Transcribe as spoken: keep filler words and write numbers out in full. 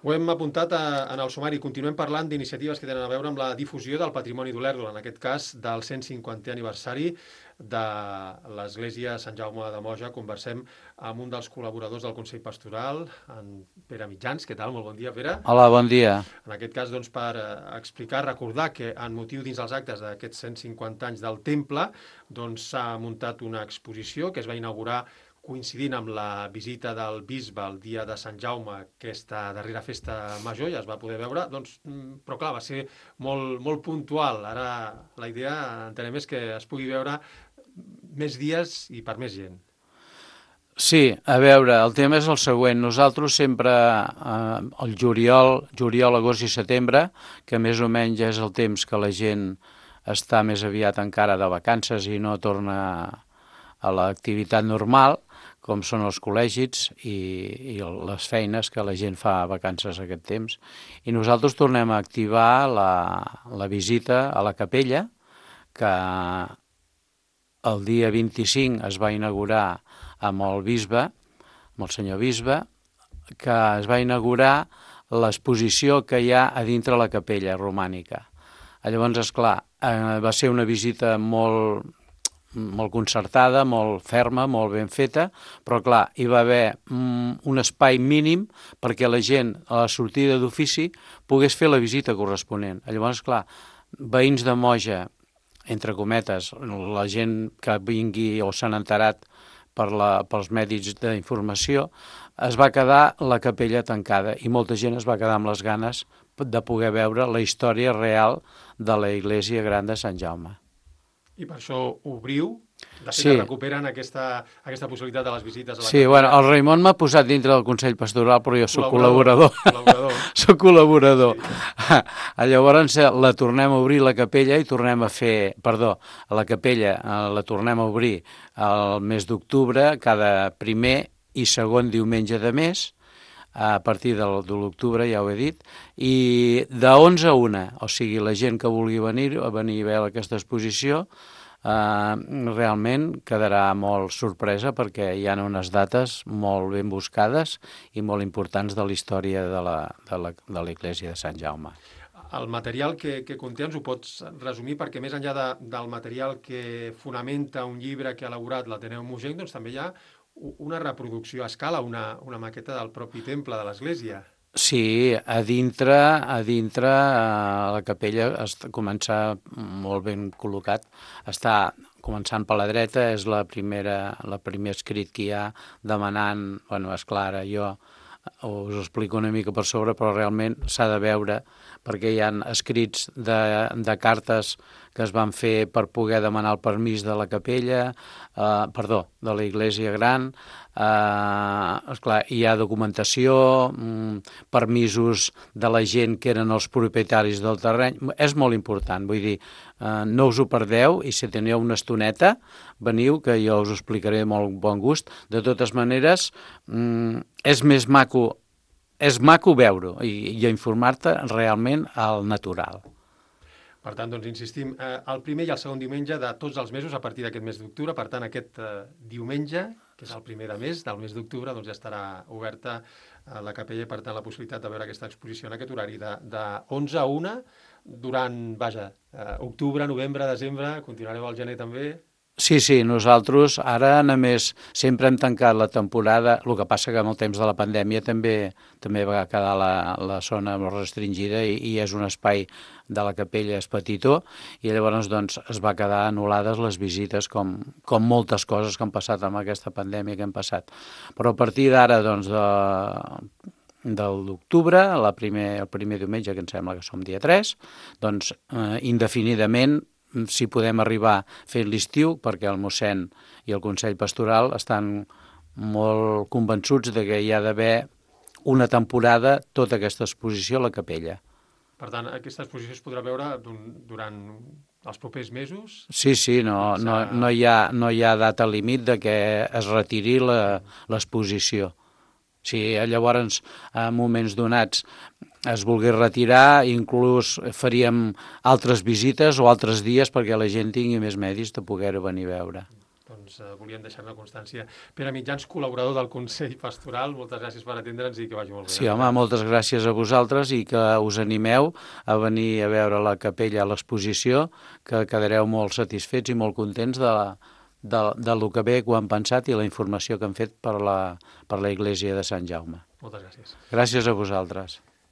Ho hem apuntat a, en el sumari. Continuem parlant d'iniciatives que tenen a veure amb la difusió del patrimoni d'Olèrdola, en aquest cas del cent cinquantè aniversari de l'Església Sant Jaume de Moja. Conversem amb un dels col·laboradors del Consell Pastoral, en Pere Mitjans. Què tal? Molt bon dia, Pere. Hola, bon dia. En aquest cas, doncs, per eh, explicar, recordar que en motiu dins els actes d'aquests cent cinquanta anys del Temple, doncs s'ha muntat una exposició que es va inaugurar coincidint amb la visita del bisbe el dia de Sant Jaume, aquesta darrera festa major, ja es va poder veure, doncs, però clar, va ser molt, molt puntual. Ara la idea, entenem, és que es pugui veure més dies i per més gent. Sí, a veure, el tema és el següent. Nosaltres sempre, eh, el juliol, juliol, agost i setembre, que més o menys és el temps que la gent està més aviat encara de vacances i no torna a l'activitat normal, com són els col·legis i, i les feines que la gent fa a vacances aquest temps. I nosaltres tornem a activar la, la visita a la capella, que el dia vint-i-cinc es va inaugurar amb el bisbe, amb el senyor bisbe, que es va inaugurar l'exposició que hi ha a dintre la capella romànica. Llavors, esclar, eh, va ser una visita molt, molt concertada, molt ferma, molt ben feta, però clar, hi va haver mm, un espai mínim perquè la gent a la sortida d'ofici pogués fer la visita corresponent. Llavors, clar, veïns de Moja, entre cometes, la gent que vingui o s'han enterat per la, pels mèdics d'informació, es va quedar la capella tancada i molta gent es va quedar amb les ganes de poder veure la història real de la Iglesia Gran de Sant Jaume. I per això obriu, de fet Sí. recuperen aquesta, aquesta possibilitat de les visites a la Sí, capella. bueno, el Raimon m'ha posat dintre del Consell Pastoral, però jo sóc col·laborador. Col·laborador. Soc col·laborador. Sí. Llavors la tornem a obrir la capella i tornem a fer, perdó, la capella la tornem a obrir el mes d'octubre, cada primer i segon diumenge de mes, a partir de l'octubre, ja ho he dit, i de onze a una, o sigui, la gent que vulgui venir a venir a veure aquesta exposició, Uh, realment quedarà molt sorpresa perquè hi ha unes dates molt ben buscades i molt importants de la història de la, de la, de l'Església de Sant Jaume. El material que, que conté ens ho pots resumir, perquè més enllà de, del material que fonamenta un llibre que ha elaborat l'Ateneu Mogenc, doncs també hi ha una reproducció a escala, una, una maqueta del propi temple de l'Església. Sí, a dintre, a dintre a la capella està comença molt ben col·locat. Està començant per la dreta, és la primera, la primer escrit que hi ha demanant, bueno, és clara, jo us ho explico una mica per sobre, però realment s'ha de veure perquè hi ha escrits de, de cartes que es van fer per poder demanar el permís de la capella, eh, perdó, de la Iglesia Gran, eh, esclar, hi ha documentació, mm, permisos de la gent que eren els propietaris del terreny, és molt important, vull dir, eh, no us ho perdeu i si teniu una estoneta, veniu que jo us ho explicaré amb molt bon gust. De totes maneres, mm, és més maco, és maco veure-ho i, i informar-te realment al natural. Per tant, doncs, insistim, eh, el primer i el segon diumenge de tots els mesos a partir d'aquest mes d'octubre. Per tant, aquest eh, diumenge, que és el primer de mes, del mes d'octubre, doncs ja estarà oberta eh, la capella i, per tant, la possibilitat de veure aquesta exposició en aquest horari de, de onze a una durant, vaja, eh, octubre, novembre, desembre, continuareu al gener també. Sí, sí, nosaltres ara només sempre hem tancat la temporada, el que passa que amb el temps de la pandèmia també també va quedar la, la zona molt restringida i, i és un espai de la capella és petitó i llavors doncs es va quedar anul·lades les visites com, com moltes coses que han passat amb aquesta pandèmia que hem passat. Però a partir d'ara doncs de, del d'octubre, la primer, el primer diumenge que em sembla que som dia tres, doncs eh, indefinidament si podem arribar fent l'estiu, perquè el mossèn i el Consell Pastoral estan molt convençuts de que hi ha d'haver una temporada tota aquesta exposició a la capella. Per tant, aquesta exposició es podrà veure durant els propers mesos? Sí, sí, no, no, no, hi ha, no hi ha data límit de que es retiri l'exposició. Si llavors, en moments donats, es volgués retirar, inclús faríem altres visites o altres dies perquè la gent tingui més medis de poder venir a veure. doncs eh, volíem deixar-ne constància. Pere Mitjans, col·laborador del Consell Pastoral, moltes gràcies per atendre'ns i que vagi molt bé. Sí, home, moltes gràcies a vosaltres i que us animeu a venir a veure la capella, a l'exposició, que quedareu molt satisfets i molt contents de, de, de lo que bé que ho han pensat i la informació que han fet per la, per la Iglésia de Sant Jaume. Moltes gràcies. Gràcies a vosaltres.